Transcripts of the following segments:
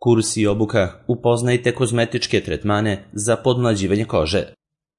Kurs i obuka upoznajte kozmetičke tretmane za podmlađivanje kože.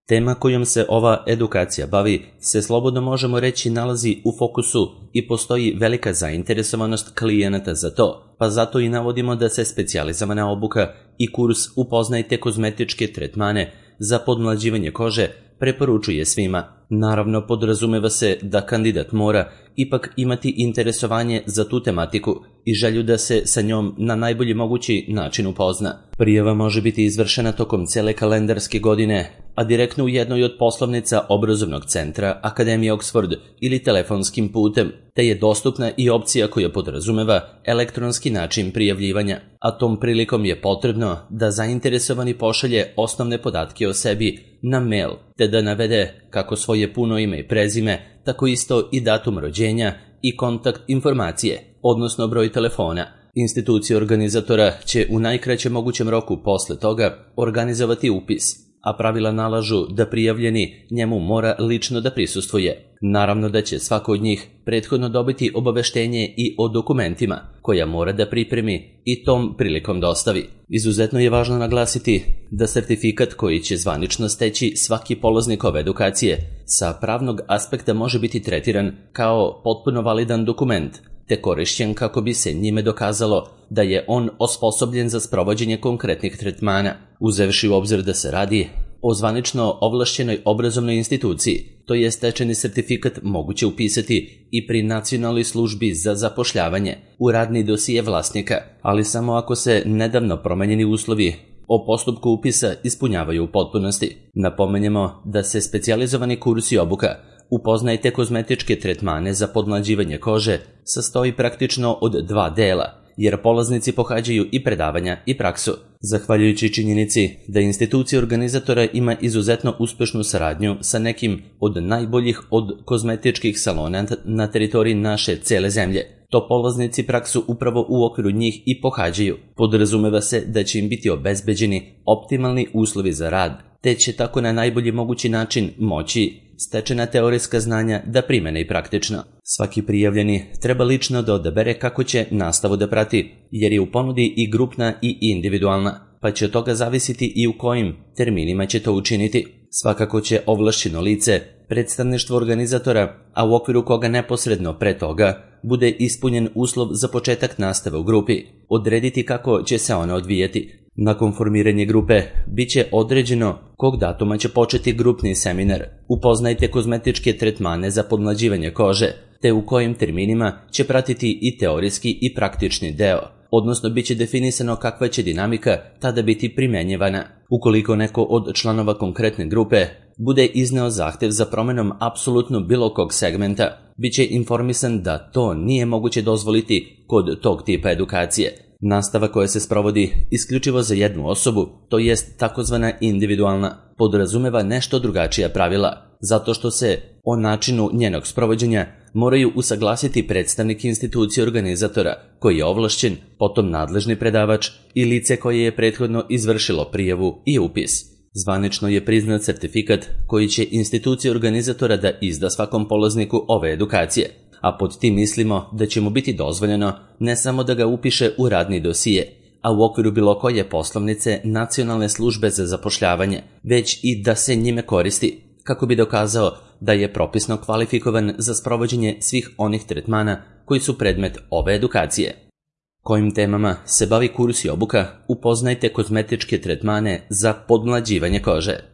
Tema kojom se ova edukacija bavi se slobodno možemo reći nalazi u fokusu i postoji velika zainteresovanost klijenata za to, pa zato i navodimo da se specijalizovana obuka i kurs upoznajte kozmetičke tretmane za podmlađivanje kože preporučuje svima. Naravno, podrazumeva se da kandidat mora ipak imati interesovanje za tu tematiku i želju da se sa njom na najbolji mogući način upozna. Prijava može biti izvršena tokom cele kalendarske godine, a direktno u jednoj od poslovnica obrazovnog centra Akademije Oxford ili telefonskim putem, te je dostupna i opcija koja podrazumeva elektronski način prijavljivanja, a tom prilikom je potrebno da zainteresovani pošalje osnovne podatke o sebi na mail, te da navede kako svoje puno ime i prezime, tako isto i datum rođenja i kontakt informacije, odnosno broj telefona. Institucija organizatora će u najkraćem mogućem roku posle toga organizovati upis, a pravila nalažu da prijavljeni njemu mora lično da prisustvuje. Naravno da će svako od njih prethodno dobiti obaveštenje i o dokumentima koja mora da pripremi i tom prilikom dostavi. Izuzetno je važno naglasiti da sertifikat koji će zvanično steći svaki polaznik ove edukacije sa pravnog aspekta može biti tretiran kao potpuno validan dokument, te korišćen kako bi se njime dokazalo da je on osposobljen za sprovođenje konkretnih tretmana, uzevši u obzir da se radi o zvanično ovlašćenoj obrazovnoj instituciji. To je stečeni sertifikat moguće upisati i pri Nacionalnoj službi za zapošljavanje u radni dosije vlasnika, ali samo ako se nedavno promenjeni uslovi o postupku upisa ispunjavaju u potpunosti. Napomenjemo da se specijalizovani kurs i obuka upoznajte kozmetičke tretmane za podmlađivanje kože sastoji praktično od dva dela, jer polaznici pohađaju i predavanja i praksu. Zahvaljujući činjenici da institucija organizatora ima izuzetno uspešnu saradnju sa nekim od najboljih od kozmetičkih salona na teritoriji naše cele zemlje, to polaznici praksu upravo u okviru njih i pohađaju. Podrazumeva se da će im biti obezbeđeni optimalni uslovi za rad, te će tako na najbolji mogući način moći stečena teorijska znanja da primene i praktično. Svaki prijavljeni treba lično da odabere kako će nastavu da prati, jer je u ponudi i grupna i individualna, pa će od toga zavisiti i u kojim terminima će to učiniti. Svakako će ovlašćeno lice, predstavništvo organizatora, a u okviru koga neposredno pre toga bude ispunjen uslov za početak nastave u grupi, odrediti kako će se ona odvijeti. Nakon formiranja grupe bit će određeno kog datuma će početi grupni seminar. Upoznajte kozmetičke tretmane za podmlađivanje kože, te u kojim terminima će pratiti i teorijski i praktični deo, odnosno bit će definisano kakva će dinamika tada biti primenjivana. Ukoliko neko od članova konkretne grupe bude izneo zahtev za promenom apsolutno bilo kog segmenta, bit će informisan da to nije moguće dozvoliti kod tog tipa edukacije. Nastava koja se sprovodi isključivo za jednu osobu, to jest takozvana individualna, podrazumeva nešto drugačija pravila, zato što se o načinu njenog sprovođenja moraju usaglasiti predstavnik institucije organizatora, koji je ovlašćen, potom nadležni predavač i lice koje je prethodno izvršilo prijavu i upis. Zvanično je priznat sertifikat koji će institucija organizatora da izda svakom polazniku ove edukacije, a pod tim mislimo da će mu biti dozvoljeno ne samo da ga upiše u radni dosije, a u okviru bilo koje poslovnice Nacionalne službe za zapošljavanje, već i da se njime koristi, kako bi dokazao da je propisno kvalifikovan za sprovođenje svih onih tretmana koji su predmet ove edukacije. Kojim temama se bavi kurs i obuka, upoznajte kozmetičke tretmane za podmlađivanje kože.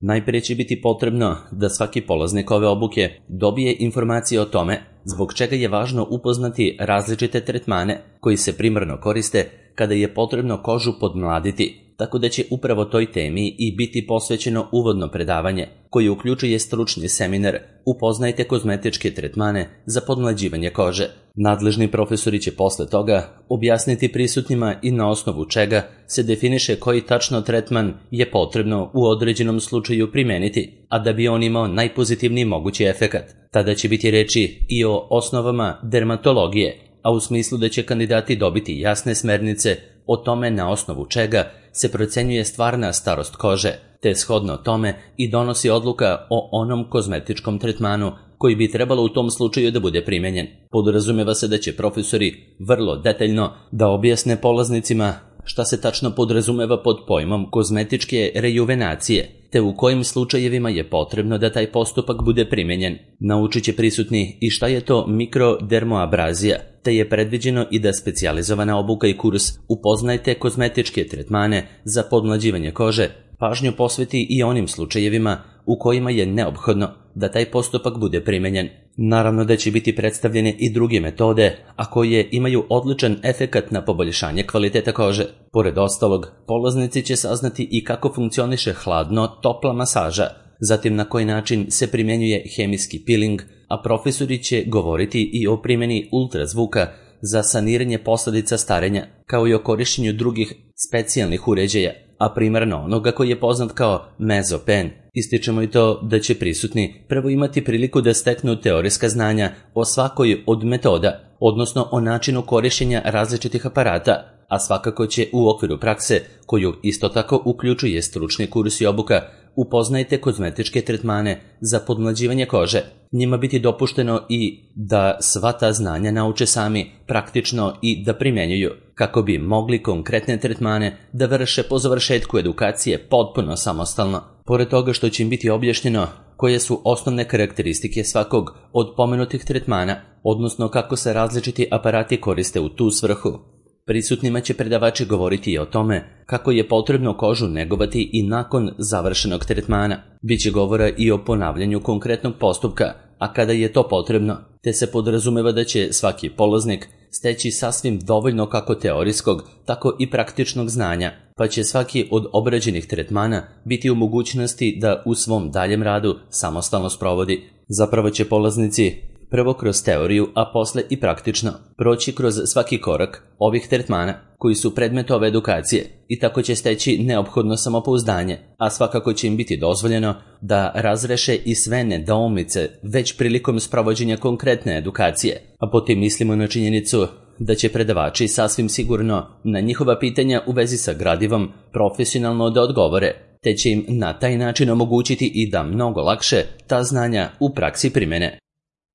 Najprije će biti potrebno da svaki polaznik ove obuke dobije informacije o tome zbog čega je važno upoznati različite tretmane koji se primarno koriste kada je potrebno kožu podmladiti, tako da će upravo toj temi i biti posvećeno uvodno predavanje, koje uključuje stručni seminar Upoznajte kozmetičke tretmane za podmlađivanje kože. Nadležni profesori će posle toga objasniti prisutnima i na osnovu čega se definiše koji tačno tretman je potrebno u određenom slučaju primeniti, a da bi on imao najpozitivniji mogući efekat. Tada će biti reči i o osnovama dermatologije, a u smislu da će kandidati dobiti jasne smernice o tome na osnovu čega se procenjuje stvarna starost kože, te shodno tome i donosi odluka o onom kozmetičkom tretmanu koji bi trebalo u tom slučaju da bude primenjen. Podrazumeva se da će profesori vrlo detaljno da objasne polaznicima šta se tačno podrazumeva pod pojmom kozmetičke rejuvenacije, te u kojim slučajevima je potrebno da taj postupak bude primenjen. Naučit će prisutni i šta je to mikrodermoabrazija, te je predviđeno i da specijalizovana obuka i kurs Upoznajte kozmetičke tretmane za podmlađivanje kože pažnju posveti i onim slučajevima u kojima je neophodno da taj postupak bude primenjen. Naravno da će biti predstavljene i druge metode, a koje imaju odličan efekat na poboljšanje kvaliteta kože. Pored ostalog, polaznici će saznati i kako funkcioniše hladno-topla masaža, zatim na koji način se primjenjuje hemijski peeling, a profesori će govoriti i o primjeni ultrazvuka za saniranje posljedica starenja, kao i o korišćenju drugih specijalnih uređaja, a primarno onoga koji je poznat kao mezopen. Ističemo i to da će prisutni prvo imati priliku da steknu teorijska znanja o svakoj od metoda, odnosno o načinu korišćenja različitih aparata, a svakako će u okviru prakse, koju isto tako uključuje stručni kurs i obuka, Upoznajte kozmetičke tretmane za podmlađivanje kože, njima biti dopušteno i da sva ta znanja nauče sami praktično i da primjenjuju, kako bi mogli konkretne tretmane da vrše po završetku edukacije potpuno samostalno. Pored toga što će im biti objašnjeno koje su osnovne karakteristike svakog od pomenutih tretmana, odnosno kako se različiti aparati koriste u tu svrhu. Prisutnima će predavači govoriti i o tome kako je potrebno kožu negovati i nakon završenog tretmana. Biće govora i o ponavljanju konkretnog postupka, a kada je to potrebno, te se podrazumeva da će svaki polaznik steći sasvim dovoljno kako teorijskog, tako i praktičnog znanja, pa će svaki od obrađenih tretmana biti u mogućnosti da u svom daljem radu samostalno sprovodi. Zapravo će polaznici prvo kroz teoriju, a posle i praktično proći kroz svaki korak ovih tretmana koji su predmet ove edukacije i tako će steći neophodno samopouzdanje, a svakako će im biti dozvoljeno da razreše i sve nedoumice već prilikom sprovođenja konkretne edukacije, a potim mislimo na činjenicu da će predavači sasvim sigurno na njihova pitanja u vezi sa gradivom profesionalno da odgovore, te će im na taj način omogućiti i da mnogo lakše ta znanja u praksi primene.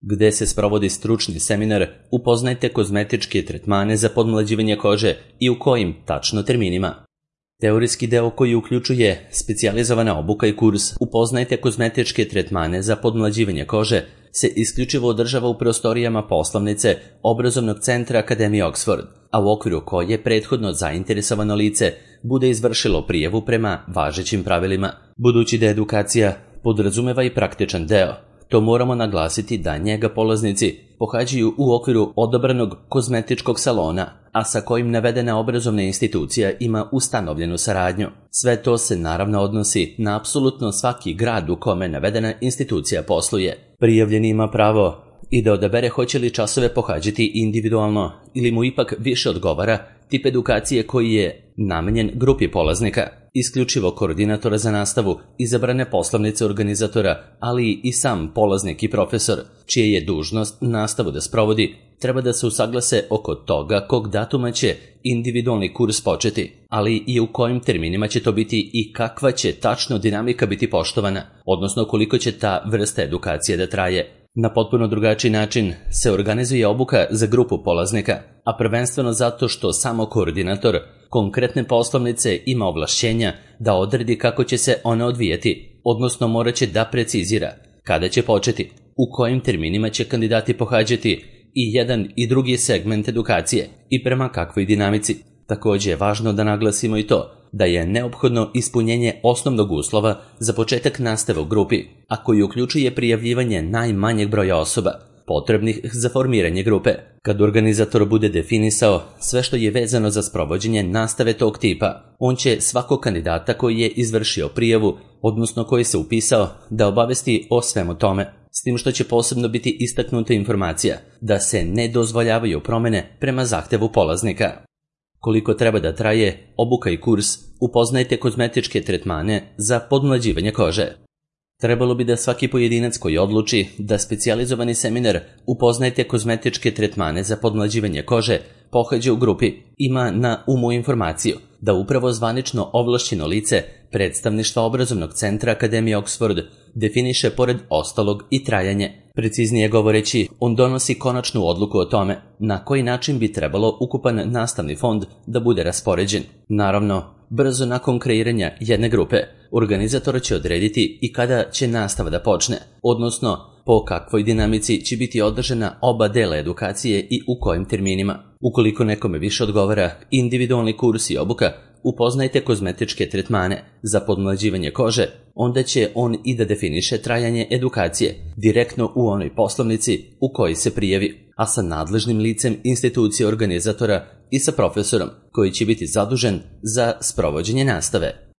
Gde se sprovodi stručni seminar Upoznajte kozmetičke tretmane za podmlađivanje kože i u kojim tačno terminima. Teorijski deo koji uključuje specijalizovana obuka i kurs Upoznajte kozmetičke tretmane za podmlađivanje kože se isključivo održava u prostorijama poslovnice Obrazovnog centra Akademije Oxford, a u okviru koje prethodno zainteresovano lice bude izvršilo prijavu prema važećim pravilima. Budući da edukacija podrazumeva i praktičan deo, to moramo naglasiti da njega polaznici pohađaju u okviru odabranog kozmetičkog salona, a sa kojim navedena obrazovna institucija ima ustanovljenu saradnju. Sve to se naravno odnosi na apsolutno svaki grad u kome navedena institucija posluje. Prijavljeni ima pravo i da odabere hoće li časove pohađati individualno ili mu ipak više odgovara tip edukacije koji je namenjen grupi polaznika, isključivo koordinatora za nastavu, izabrane poslovnice organizatora, ali i sam polaznik i profesor, čije je dužnost nastavu da sprovodi, treba da se usaglase oko toga kog datuma će individualni kurs početi, ali i u kojim terminima će to biti i kakva će tačno dinamika biti poštovana, odnosno koliko će ta vrsta edukacije da traje. Na potpuno drugačiji način se organizuje obuka za grupu polaznika, a prvenstveno zato što samo koordinator konkretne poslovnice ima ovlašćenja da odredi kako će se ona odvijati, odnosno morat će da precizira kada će početi, u kojim terminima će kandidati pohađati i jedan i drugi segment edukacije i prema kakvoj dinamici. Također je važno da naglasimo i to da je neophodno ispunjenje osnovnog uslova za početak nastave u grupi, a koji uključuje prijavljivanje najmanjeg broja osoba potrebnih za formiranje grupe. Kad organizator bude definisao sve što je vezano za sprovođenje nastave tog tipa, on će svakog kandidata koji je izvršio prijavu, odnosno koji se upisao, da obavesti o svemu tome, s tim što će posebno biti istaknuta informacija da se ne dozvoljavaju promjene prema zahtevu polaznika. Koliko treba da traje obuka i kurs Upoznajte kozmetičke tretmane za podmlađivanje kože. Trebalo bi da svaki pojedinac koji odluči da specijalizovani seminar Upoznajte kozmetičke tretmane za podmlađivanje kože pohađa u grupi ima na umu informaciju da upravo zvanično ovlašćeno lice predstavništva Obrazovnog centra Akademije Oxford definiše pored ostalog i trajanje, Preciznije govoreći, on donosi konačnu odluku o tome na koji način bi trebalo ukupan nastavni fond da bude raspoređen. Naravno, brzo nakon kreiranja jedne grupe, organizator će odrediti i kada će nastava da počne, odnosno po kakvoj dinamici će biti održana oba dela edukacije i u kojim terminima. Ukoliko nekome više odgovara individualni kurs i obuka, upoznajte kozmetičke tretmane za podmlađivanje kože, onda će on i da definiše trajanje edukacije direktno u onoj poslovnici u kojoj se prijavi, a sa nadležnim licem institucije organizatora i sa profesorom koji će biti zadužen za sprovođenje nastave.